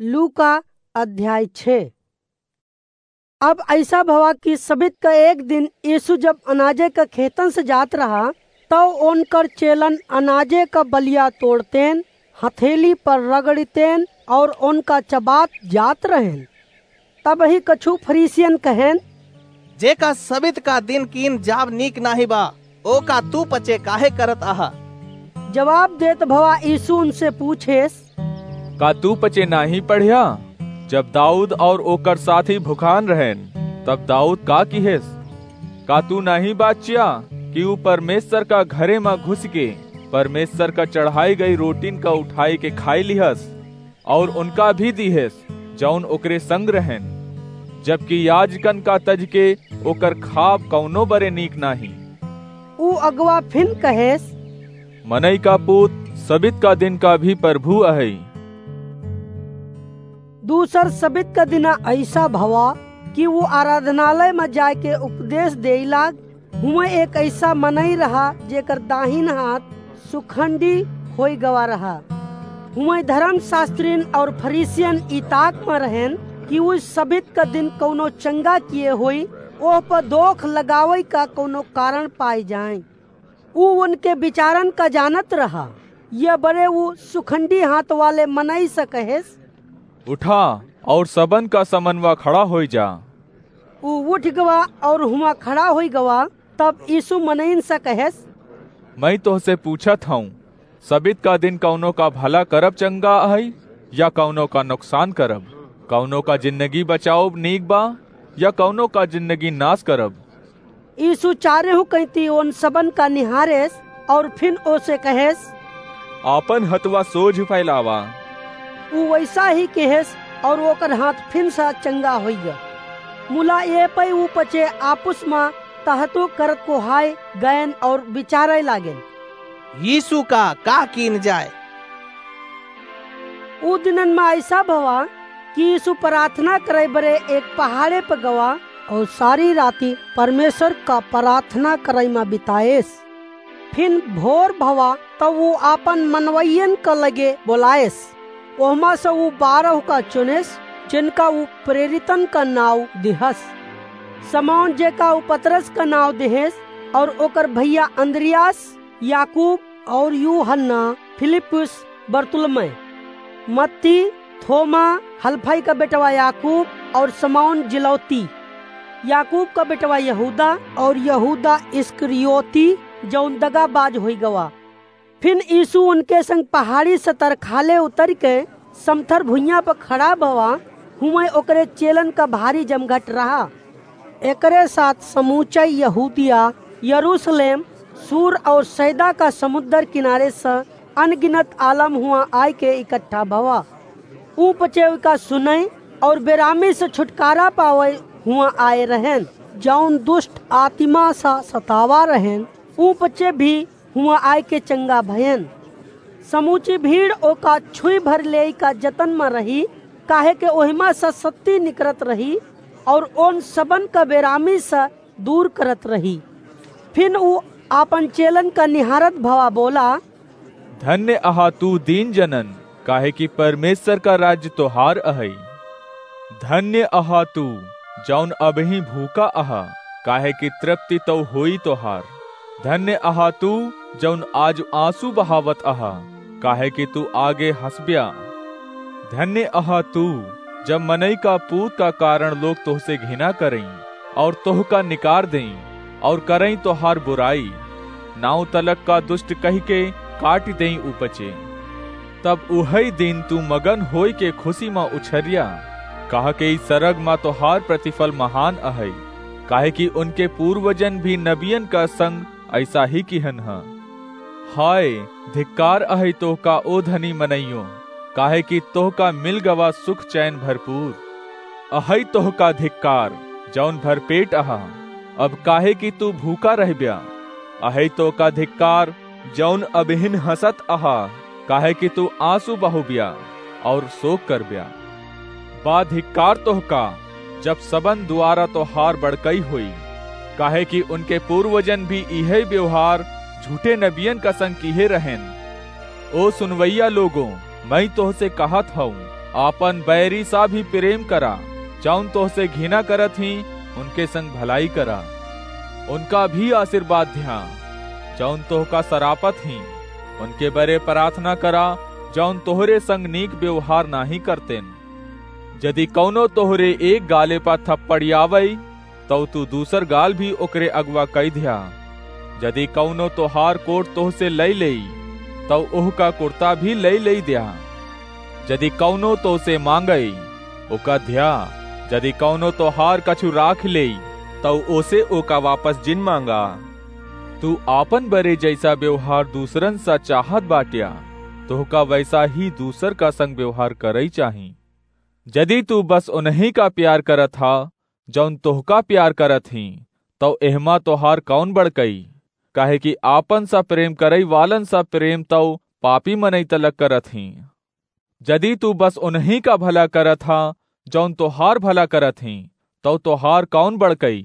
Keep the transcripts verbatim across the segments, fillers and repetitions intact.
लूका अध्याय छः। अब अइसा भवा कि सबित क एक दिन यीशु जब अनाजे क खेतन से जात रहा, तौ ओनकर चेलन अनाजे क बलिया तोड़तेन, हथेली पर रगड़ितेन और ओनका चबात जात रहेन। तबही कछु फरीसियन कहेन, "जेका सबित का दिन कीन जाब नीक नाहीं बा, ओका तू पचे काहे करत आहा?" जवाब देत भवा यीशु उनसे पूछेस, "का तू पचे नाहीं पढ़्या? जब दाऊद और ओकर साथी भुखान रहेन, तब दाऊद का किहेस? का तू नाहीं बाचिया कि ऊ परमेश्वर का घरे मा घुस के परमेश्वर का चढ़ाई गई रोटिन का उठाई के खाई लिहस?" और उनका भी दिहेस, जौन ओकरे संग रहेन, जबकि याजकन का तज के ओकर खाब कौनो बरे नीक नाहीं। ऊ अगवा फिन कहेस, "मनई का पूत सबित का दिन का भी प्रभु अहई।" दूसर सबित का दिना अइसा भवा कि ऊ आराधनालय में जाके उपदेश देई लाग, हुआं एक अइसा मनई रहा, जेकर दाहिन हाथ सुखंडी होई गवा रहा। हुआं धर्मशास्त्रिन और फरीसियन ई ताक में रहेन कि ऊ सबित का दिन कौनो चंगा किए होई, ओह पर दोख लगावई का कौनो कारण पाए जाए। ऊ उनके विचारन का जानत रहा। यह बरे ऊ सुखंडी हाथ वाले मनई से कहेस, "उठा और सबन का समनवा खड़ा होई जा।" ऊ उठ गवा और हुआं खड़ा होई गवा। तब यीशु मनइन से कहेस, "मैं तोहसे पूछत हूँ, सबित का दिन कौनो का भला करब चंगा है या कौनो का नुकसान करब? कौनो का जिंदगी बचाओब नीक बा या कौनो का जिंदगी नाश करब?" यीशु चारेहू कैती ओन सबन का निहारेस और फिन ओसे कहेस, "आपन हथवा सोझ फैलावा।" ऊ वैसा ही कहेस और ओकर हाथ फिन सा चंगा होइगा। मुला ये पै ऊ पचे आपुस मा तहतु करत कोहाय गयन और विचारे लागेन, "यीशु का का कीन जाए?" ऊ दिनन मा अइसा भवा कि यीशु प्रार्थना करे बरे एक पहाड़े पर गवा और सारी राती परमेश्वर का प्रार्थना करे मा बिताएस। फिन भोर भवा तब ऊ आपन मनवैयन का लगे बोलाएस। ओहमा से ऊ बारह का चुनेस, जिनका ऊ प्रेरितन का नाव दिहस। समौन जेका ऊ पतरस का नाव दिहेस और ओकर भैया अंद्रियास, याकूब और यूहन्ना, फिलिप्पुस, बरतुलमै, मत्ती, थोमा, हलफई का बेटवा याकूब और समौन जिलौती, याकूब का बेटवा यहूदा और यहूदा इस्करियोती, जौन दगाबाज होई गवा। फिन यीशु उनके संग पहाड़ी से तरखाले उतर के समथर भुइयां पर खड़ा भवा, हुआं ओकरे चेलन का भारी जमघट रहा। एकरे साथ समूचा यहूदिया, यरूशलेम, सूर और सैदा का समुद्र किनारे से अनगिनत आलम हुआं आय के इकट्ठा भवा। ऊ पचे उका सुनई और बेरामी से छुटकारा पावई हुआं आए रहेन, जौन दुष्ट आत्मा सा सतावा रहेन, ऊ पचे भी हुआं आय के चंगा भयन। समूची भीड़ ओका छुई भर लेई का जतन मा रही, काहे के ओहिमा से सत्ती निकरत रही और ओन सबन का बेरामी से दूर करत रही। फिन ऊ आपन चेलन का निहारत भवा बोला, "धन्य अहा तू दीन जनन, काहे कि परमेश्वर का राज्य तोहार अहई। धन्य अहा तू, जौन अबहीं भूखा अहा, काहे कि तृप्ति तौ होई तोहार। धन्य अहा तू, जौन आज आंसू बहावत अहा, काहे कि तू आगे हंसब्या। धन्य अहा तू, जब मनई का पूत का कारण लोग तोहसे घिना करई और तोहका निकार देई और करई तोहार बुराई, नाव तलक का दुष्ट कहि के काटि देई ऊ पचे। तब उहई दिन तू मगन होई के खुशी मा उछरिया, काहे कि सरग मा तोहार प्रतिफल महान अहई, काहे कि उनके पूर्वजन भी नबियन का संग अइसा ही किहन ह। हाय, धिक्कार अहई तोहका ओ धनी मनइयो, काहे कि तोहका मिल गवा सुख चैन भरपूर। अहई तोहका धिक्कार, जौन भरपेट अहा, अब काहे कि तू भूखा रहब्या। अहई तोहका धिक्कार, जौन अबहिन हंसत अहा, काहे कि तू आंसू बहोब्या और शोक करब्या। बा धिक्कार तोहका, जब सबन द्वारा तोहार बड़कई होई, काहे कि उनके पूर्वजन भी इहे व्यवहार झूठे नबियन का संग किहे रहेन। ओ सुनवैया लोगों, मैं तोहसे कहत हूँ, आपन बैरी सा भी प्रेम करा, जौन तोहसे घिना करत ही, उनके संग भलाई करा। उनका भी आशीर्वाद द्या, जौन तोहका सरापत ही, उनके बरे प्रार्थना करा, जौन तोहरे संग नीक व्यवहार नाहीं करतेन। जदि कौनो तोहरे एक गाले पा थप्पड़ियावई, तौ तू दूसर गाल भी ओकरे अगवा कई द्या। जदि कौनो तोहार कोट तोहसे लई लेई, तौ ओहका कुर्ता भी लई लेई द्या। जदि कौनो तोसे मांगई, ओका द्या। जदि कौनो तोहार कछु राख लेई, तौ ओसे ओका वापस जिन मांगा। तू आपन बरे जैसा व्यवहार दूसरन सा चाहत बाट्या, तोहका वैसा ही दूसर का संग व्यवहार करई चाही। जदि तू बस उन्हीं का प्यार करत हा, जौन तोहका प्यार करत ही, तौ एहमा तोहार कौन बड़कई? काहे कि आपन सा प्रेम करई वालन सा प्रेम तौ पापी मनई तलक करत ही। जदि तू बस उन्हीं का भला करत हा, जौन तोहार भला करत ही, तौ तोहार कौन बड़कई?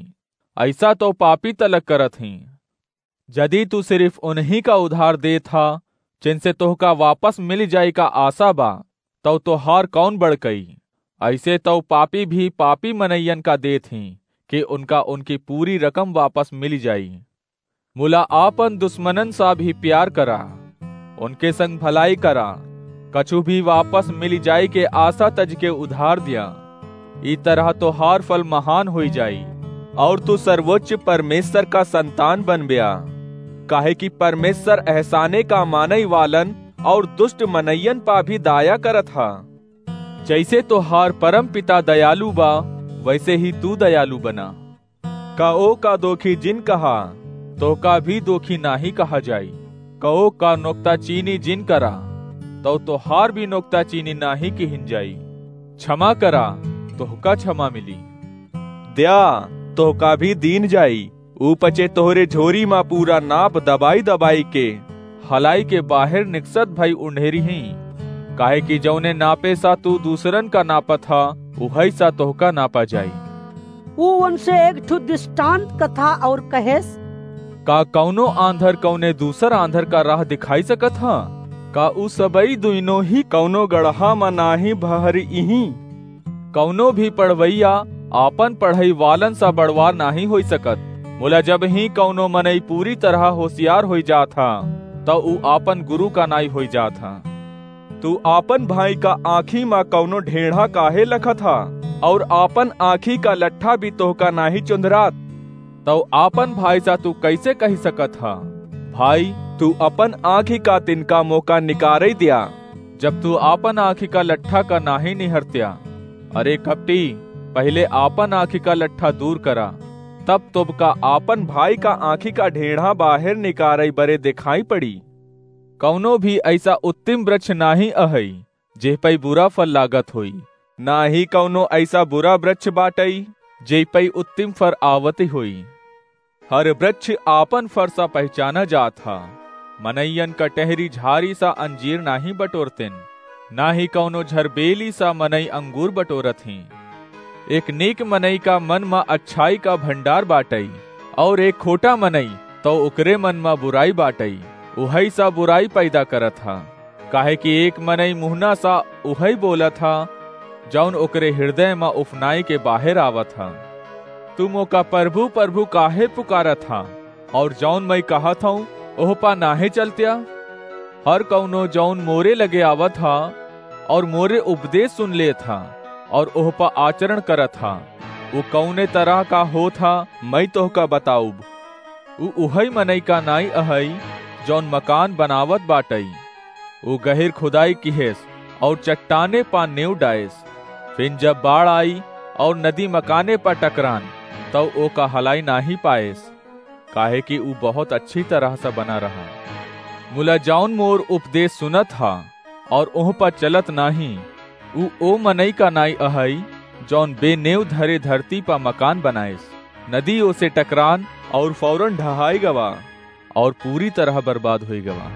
ऐसा तौ पापी तलक करत ही। जदि तू सिर्फ उन्हीं का उधार देत हा, जिनसे तोहका वापस मिल जाए का आशा बा, तौ तोहार कौन बड़कई? ऐसे तौ पापी भी पापी मनैयन का देत ही, कि उनका उनकी पूरी रकम वापस मिल जाई। मुला आपन दुश्मनन सा भी प्यार करा, उनके संग भलाई करा, कछु भी वापस मिल जाए के आशा तज के उधार द्या। ई तरह तोहार फल महान होई जाई, और तू सर्वोच्च परमेश्वर का संतान बनब्या, काहे कि परमेश्वर एहसाने का मानई वालन और दुष्ट मनैयन पा भी दया करत हा। जैसे तोहार परम पिता दयालु बा, वैसे ही तू दयालु बना। कओ का दोखी जिन कहा, तोहका भी दोखी नाहीं कहा जाई। कओ का नुक्ताचीनी जिन करा, तौ तोहार भी नुक्ताचीनी नाहीं किहिन जाई। क्षमा करा, तोहका क्षमा मिली। द्या, तोहका भी दीन जाई। ऊ पचे तोहरे झोरी मा पूरा नाप दबाई दबाई के हलाई के बाहेर निकसत भई उंढेरी ही। काहे कि जौने नापे सा तू दूसरन का नापत हा, उहई सा तोहका नापा जाई। ऊ उनसे एक ठो दृष्टांत कथा और कहेस, का कौनो आंधर कौने दूसर आंधर का राह दिखाई सकत हा? का ऊ सबई दुइनो ही कौनो गड़हा मा नाहीं भहरिहीं? कौनो भी पढ़वैया आपन पढ़ई वालन सा बड़वार नाहीं होई सकत। मुला जब ही कौनो मनई पूरी तरह होशियार होई जात हा, त ऊ आपन गुरु का नाई होई जात हा। तू आपन भाई का आँखी मा कौनो ढेढ़ा काहे लखत हा, और आपन आँखी का लट्ठा भी तोहका नाहीं चुंधरात? तौ आपन भाई सा तू कैसे कहि सकत हा, भाई, तू अपन आँखी का तिनका मोका निकारई द्या, जब तू आपन आँखी का लट्ठा का नाहीं निहरत्या? अरे कपटी, पहिले आपन आँखी का लट्ठा दूर करा, तब तोबका आपन भाई का आँखी का ढेढ़ा बाहेर निकारई बरे देखाई पड़ी। कौनो भी ऐसा उत्तम वृक्ष नाहीं अहई, जेह पई बुरा फल लागत होई, ना ही कौनो ऐसा बुरा वृक्ष बाटई, जेह पई उत्तम फल आवत होई। हर वृक्ष आपन फर सा पहचाना जात हा। मनैयन का टहरी झारी सा अंजीर नाहीं बटोरतेन, ना ही कौनो झरबेली सा मनई अंगूर बटोरत ही। एक नेक मनई का मन मा अच्छाई का भंडार बाटई, और एक खोटा मनई तौ ओकरे मन मा बुराई बाटई। उहई सा बुराई पैदा करत हा, काहे कि एक मनई मुहना सा उहई बोलत हा, जौन ओकरे हृदय मा उफनाई के बाहेर आवत हा। तू मोका प्रभु, प्रभु काहे पुकारत हा, और जौन मई कहत हूँ, ओह पा नाहीं चलत्या? हर कौनो जौन मोरे लगे आवत हा, और मोरे उपदेश सुन लेत हा, और ओह पा आचरण करत हा, ऊ कौने तरह का होत हा, मई तोहका बताउब। ऊ उहई मनई का नाई अहई, जौन मकान बनावत बाटई। ऊ गहिर खुदाई किहेस, और चट्टाने पा नेव डाएस। फिन जब बाढ़ आई, और नदी मकाने पा टकरान, तौ ओका हलाई नाहीं पाएस, काहे कि ऊ बहुत अच्छी तरह से बना रहा। मुला जौन मोर उपदेश सुनत हा, और ओह पा चलत नाहीं, ऊ ओ मनई का नाई अहई, जौन बेनेव धरे धरती पा मकान बनाएस। नदी ओसे टकरान, और फौरन ढहाई गवा, और पूरी तरह बर्बाद होई गवा।